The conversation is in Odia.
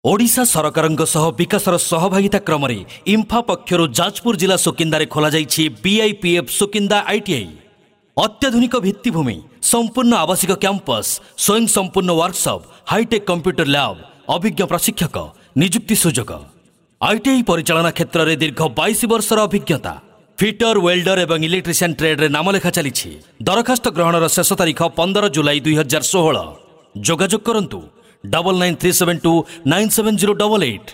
ଓଡ଼ିଶା ସରକାରଙ୍କ ସହ ବିକାଶର ସହଭାଗିତା କ୍ରମରେ ଇମ୍ଫା ପକ୍ଷରୁ ଯାଜପୁର ଜିଲ୍ଲା ସୁକିନ୍ଦାରେ ଖୋଲାଯାଇଛି ବିଆଇପିଏଫ୍ ସୁକିନ୍ଦା ଆଇଟିଆଇ। ଅତ୍ୟାଧୁନିକ ଭିତ୍ତିଭୂମି, ସମ୍ପୂର୍ଣ୍ଣ ଆବାସିକ କ୍ୟାମ୍ପସ୍, ସ୍ୱୟଂ ସମ୍ପୂର୍ଣ୍ଣ ୱାର୍କସପ୍, ହାଇଟେକ୍ କମ୍ପ୍ୟୁଟର ଲ୍ୟାବ୍, ଅଭିଜ୍ଞ ପ୍ରଶିକ୍ଷକ, ନିଯୁକ୍ତି ସୁଯୋଗ। ଆଇଟିଆଇ ପରିଚାଳନା କ୍ଷେତ୍ରରେ ଦୀର୍ଘ 22 ବର୍ଷର ଅଭିଜ୍ଞତା। ଫିଟର, ୱେଲ୍ଡର ଏବଂ ଇଲେକ୍ଟ୍ରିସିଆନ୍ ଟ୍ରେଡ୍ରେ ନାମଲେଖା ଚାଲିଛି। ଦରଖାସ୍ତ ଗ୍ରହଣର ଶେଷ ତାରିଖ 15 ଜୁଲାଇ 2016। ଯୋଗାଯୋଗ କରନ୍ତୁ 9937297088।